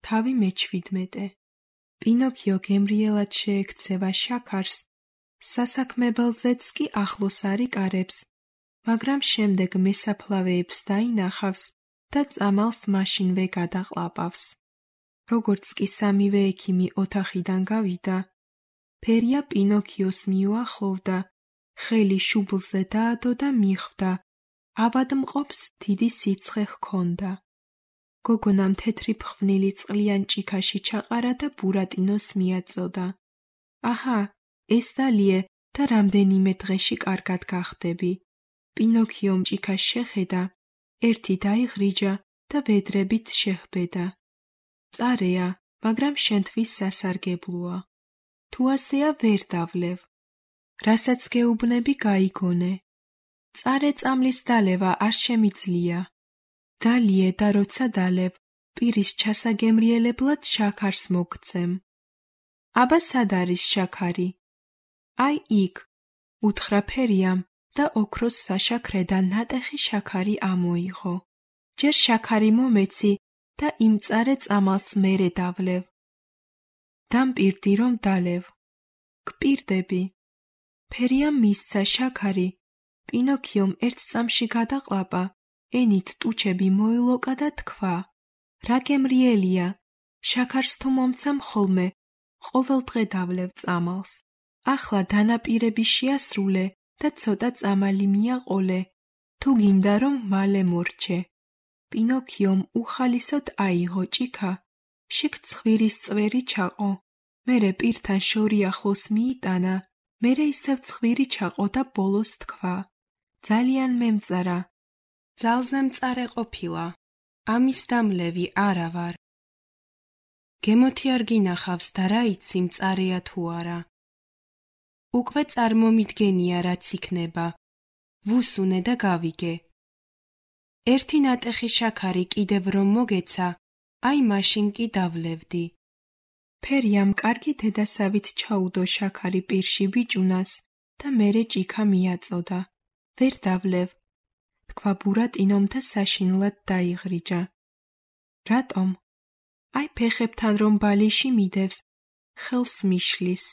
თავი მე-17. პინოქიო გემრიელად შეექცევა შაქარს, სასაქმებელზეც კი ახლოს არ იკარებს, მაგრამ შემდეგ მესაფლავეებს დაინახავს და წამალს მაშინვე გადაყლაპავს. როგორც კი სამივე ექიმი ოთახიდან გავიდა, ფერია პინოქიოს მიუახლოვდა, ხელი შუბლზე დაადო და მიხვდა, ავადმყოფს დიდი სიცხე ჰქონდა. გოგონამ თეთრი ფხვნილი წყლიან ჭიქაში ჩაყარა და ბურატინოს მიაწოდა. აჰა, ეს დალიე და რამდენიმე დღეში კარგად გახდები. პინოქიომ ჭიქას შეხედა, ერთი დაიღრიჯა და ვედრებით შეჰბედა. წარეა, მაგრამ შენთვის სასარგებლოა. თუ ასეა ვერ დავლევ. რასაც გეუბნები გაიგონე. წარე წამლის დალევა არ შემიძლია. დალიე და როცა დალევ, პირის ჩასაგემრიელებლად შაქარს მოგცემ. აბა სად არის შაქარი? აი იქ, უთხრა ფერიამ და ოქროს საშაქრედან ნატეხი შაქარი ამოიღო. ჯერ შაქარი მომეცი და იმ წარე წამალს მერე დავლევ. დამპირდი რომ დალევ. გპირდები. ფერიამ მისცა შაქარი, პინოქიომ ერთ წამში გადაყლაპა, ენით ტუჩები მოილოკა და თქვა: რა გემრიელია, შაქარს თუ მომცემ ხოლმე, ყოველ დღე დავლევ წამალს. ახლა დანაპირები შეასრულე და ცოტა წამალი მიაყოლე, თუ გინდა რომ მალე მორჩე. პინოქიომ უხალისოდ აიღო ჭიქა, შიგ ცხვირის წვერი ჩაყო, მერე პირთან შორი ახლოს მიიტანა, მერე ისევ ცხვირი ჩაყო და ბოლოს თქვა: ძალიან მემწარა. ძალზე მწარე ყოფილა, ამის დამლევი არა ვარ. გემოთი არ გინახავს და რა იცი მწარეა თუ არა. უკვე წარმომიდგენია რაც იქნება, ვუსუნე და გავიგე. ერთი ნატეხი შაქარი კიდევ რომ მოგეცა, აი მაშინ კი დავლევდი. ფერიამ კარგი დედასავით ჩაუდო შაქარი პირში ბიჭუნას და მერე ჭიქა მიაწოდა. ვერ დავლევ. თქვა ბურატინომ და საშინლად დაიღრიჯა. რატომ? აი ფეხებთან რომ ბალიში მიდევს, ხელს მიშლის.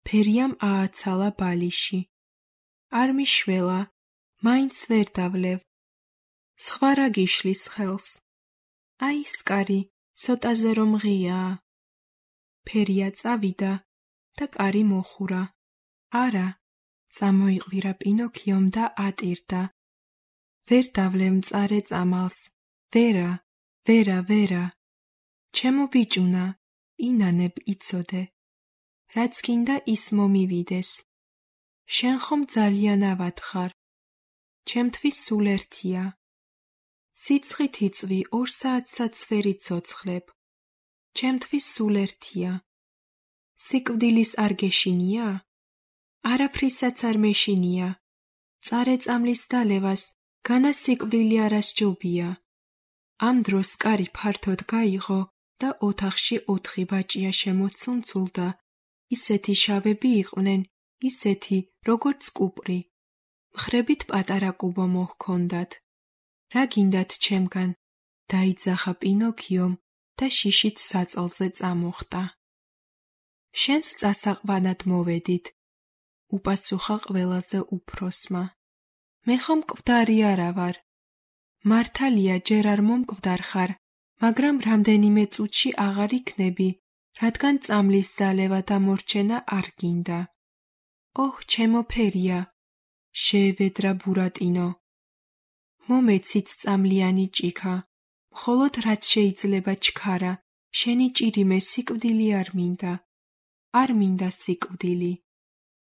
ფერიამ ააცალა ბალიში. არ მიშველა, მაინც ვერ დავლევ. სხვა რა გიშლის ხელს? აი სკარი, ცოტაზე რომ ღიაა. ფერია წავიდა და კარი მოხურა. არა, წამოიყვირა პინოქიომ და ატირდა. ვერ დავლევ მწარე წამალს. ვერა, ვერა, ვერა. ჩემო ბიჭუნა, ინანებ იცოდე. რაც გინდა ის მომივიდეს. შენ ხომ ძალიან ავად ხარ. ჩემთვის სულ ერთია. სიცხით იწვი 2 საათსაც ვერ იცოცხლებ. ჩემთვის სულ ერთია. სიკვდილის არ გეშინია? არაფრისაც არ მეშინია. წარე წამლის დალევას განა სიკვდილი არასჯობია. ამ დროს კარი ფართოდ გაიღო და ოთახში 4 ბაჭია შემოცუნცულდა. ისეთი შავები იყვნენ, ისეთი, როგორც კუპრი. მხრებით პატარა კუბო მოჰქონდათ. რა გინდათ ჩემგან? დაიძახა პინოქიომ და შიშით საწოლზე წამოხტა. შენს წასაყვანად მოვედით, უპასუხა ყველაზე უფროსმა. მე ხომ მკვდარი არა ვარ. მართალია ჯერ არ მომკვდარ ხარ, მაგრამ რამდენიმე წუთში აღარ იქნები, რადგან წამლის დალევა და მორჩენა არ გინდა. ოჰ, ჩემო ფერია, შეევედრა ბურატინო. მომეცით წამლიანი ჭიქა, მხოლოდ რაც შეიძლება ჩქარა, შენი ჭირიმე სიკვდილი არ მინდა. არ მინდა სიკვდილი.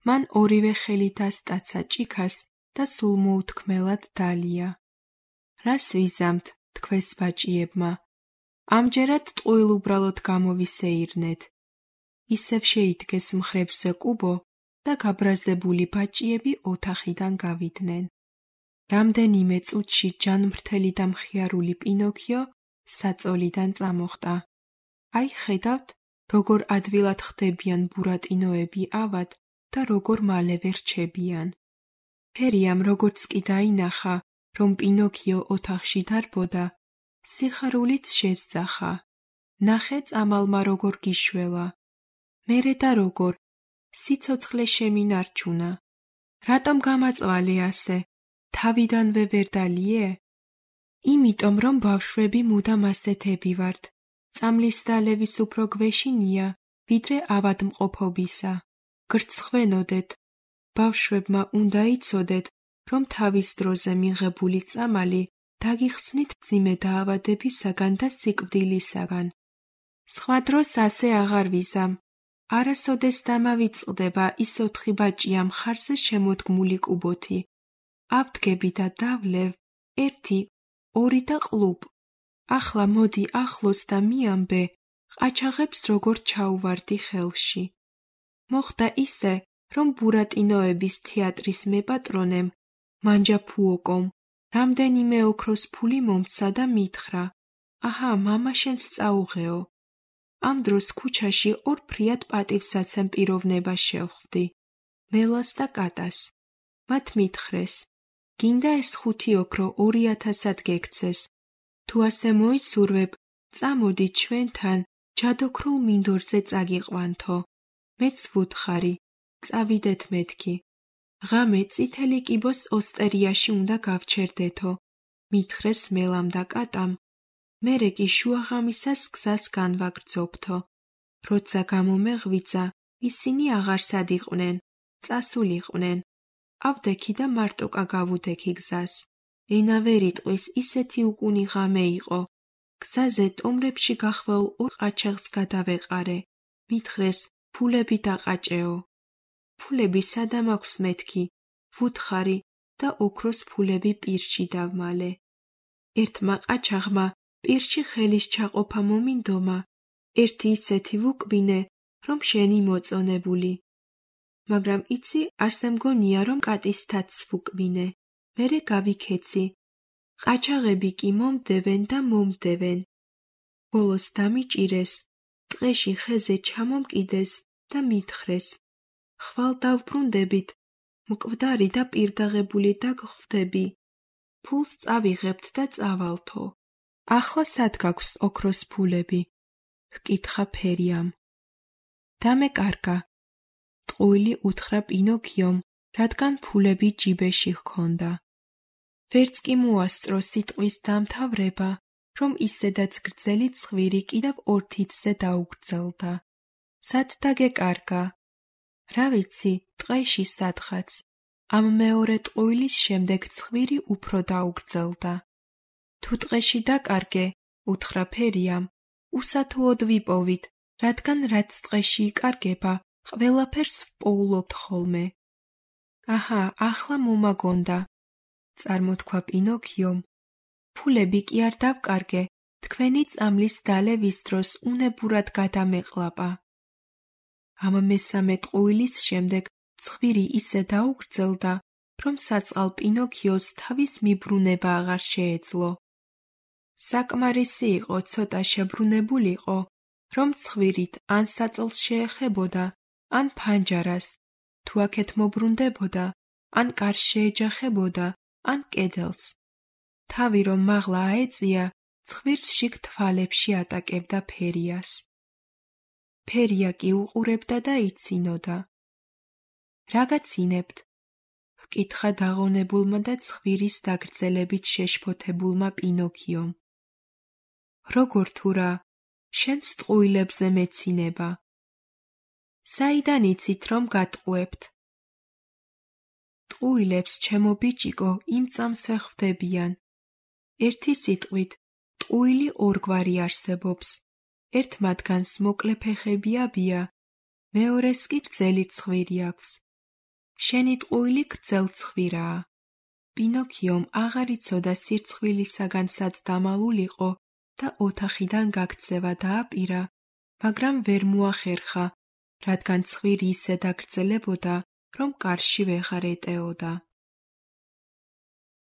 მან ორივე ხელით ასტაცა ჭიქას და სულ მოუთქმელად დალია. რას ვიზამთ, თქვეს ბაჭიებმა. ამჯერად ტყუილ უბრალოდ გამოვისეირნეთ. ისევ შეიდგეს მხრებზე კუბო და გაბრაზებული ბაჭიები ოთახიდან გავიდნენ. რამდენიმე წუთში ჯანმრთელი და მხიარული პინოქიო საწოლიდან წამოხტა. აი ხედავთ, როგორ ადვილად ხდებიან ბურატინოები ავად და როგორ მალევე რჩებიან. ფერიამ როგორც კი დაინახა, რომ პინოქიო ოთახში დარბოდა, სიხარულიც შესძახა. ნახე წამალმა როგორ გიშველა. მერე და როგორ, სიცოცხლე შემინარჩუნა. რატომ გამაწვალე ასე, თავიდანვე ვერ დალიე? იმიტომ რომ ბავშვები მუდამ ასეთები ვართ. წამლის დალევის უფრო გვეშინია, ვიდრე ავადმყოფობისა. გრცხვენოდეთ. ბავშვებმა უნდა იცოდეთ, რომ თავის დროზე მიღებული წამალი დაგიხსნით მძიმე დაავადებისაგან და სიკვდილისაგან. სხვა დროს ასე აღარ ვიზამ. არასოდეს დამავიწყდება ის 4 ბაჭია მხარზე შემოდგმული კუბოთი. ავდგები და დავლევ 1, 2 და ყლუპ. ახლა მოდი ახლოს და მიამბე, ყაჩაღებს როგორ ჩაუვარდი ხელში. მოხდა ისე, რომ ბურატინოების თეატრის მეპატრონემ, მანჯაფუოკომ, რამდენიმე ოქროს ფული მომცა და მითხრა: აჰა, მამა შენს წაუღეო. ამ დროს ქუჩაში ორფრიად პატივსაცემ პიროვნებას შევხვდი, მელას და კატას. მათ მითხრეს: გინდა ეს 5 ოქრო 2000-ად გექცეს. თუ ასე მოიცურვებ, წამოდი ჩვენთან ჯადოქრულ მინდორზე წაგიყვანთო. მეც ვუთხარი, წავიდეთ მეთქი. ღამე წითელი კიბოს ოსტერიაში უნდა გავჩერდეთო. მითხრეს მელამ და კატამ. მერე კი შუაღამისას გზას განვაგრძობთო. როცა გამომეღვიძა, ისინი აღარ სადიყვნენ, წასულიყვნენ. ავდექი და მარტოკა გავუდექი გზას. ენა ვერ იტყვის, ისეთი უკუნი ღამე იყო. გზაზე ტომრებში გახვეულ 2 ყაჩაღს გადავეყარე. მითხრეს, ფულები დაყაჭეო. ფულები სადამ აქვს მეთქი, ვუთხარი და ოქროს ფულები პირში დავმალე. ერთმა ყაჩაღმა პირში ხელის ჩაყოფა მომინდომა, ერთი ისეთი ვუკბინე, რომ შენი მოწონებული. მაგრამ იცი, ასე მგონია, რომ კატის თათს ვუკბინე, მერე გავიქეცი. ყაჩაღები კი მომდევენ და მომდევენ. ბოლოს დამიჭირეს, ტყეში ხეზე ჩამომკიდეს და მითხრეს: ხვალ დავბრუნდებით, მკვდარი და პირდაღებული დაგხვდები. ფულს წავიღებთ და წავალთო. ახლა სად გაქვს ოქროს ფულები? ჰკითხა ფერიამ. დამეკარგა. ტყუილი უთხრა პინოქიომ, რადგან ფულები ჯიბეში ჰქონდა. ვერც კი მოასწრო სიტყვის დამთავრება, რომ ისედაც გრძელი ცხვირი კიდევ 2 თითზე დაუგრძელდა. სად დაგეკარგა? რა ვიცი, ტყეში სადღაც. ამ მეორე ტყუილის შემდეგ ცხვირი უფრო დაუგრძელდა. თუ ტყეში დაკარგე, უთხრა ფერიამ, უსათუოდ ვიპოვით, რადგან რაც ტყეში იკარგება, ყველაფერს ვპოულობთ ხოლმე. აჰა, ახლა მომაგონდა, წარმოთქვა პინოქიომ. ფულები კი არ დავკარგე, თქვენი წამლის დალევის დროს უნებურად გადამეყლაპა. ამ მესამე ტყუილის შემდეგ ცხვირი ისე დაუგრძელდა, რომ საწყალ პინოქიოს თავის მიბრუნება აღარ შეეძლო. საკმარისი იყო ცოტა შებრუნებულიყო, რომ ცხვირით ან საწოლს შეეხებოდა, ან ფანჯარას, თუ აქეთ მობრუნდებოდა, ან კარს შეეჯახებოდა, ან კედელს. თავი რომ მაღლა აეწია, ცხვირს შიგ თვალებში ატაკებდა ფერიას. ფერია კი უყურებდა და იცინოდა. რა გაცინებთ? ჰკითხა დაღონებულმა და ცხვირის დაგრძელებით შეშფოთებულმა პინოქიომ. როგორ თუ რა, შენს ტყუილებზე მეცინება. საიდან იცით, რომ გატყუებთ? ტყუილებს, ჩემო ბიჭიკო, იმ წამს ვეხვდებიან. ერთი სიტყვით, ტყუილი ორგვარი არსებობს. ერთ მათგანს მოკლე ფეხები აბია, მეორეს კი გრძელი ცხვირი აქვს. შენი ტყუილი გრძელ ცხვირაა. პინოქიომ აღარ იცოდა სირცხვილისაგან სად დამალულიყო და ოთახიდან გაქცევა დააპირა, მაგრამ ვერ მოახერხა, რადგან ცხვირი ისე დაგრძელებოდა, რომ კარში ვეღარ ეტეოდა.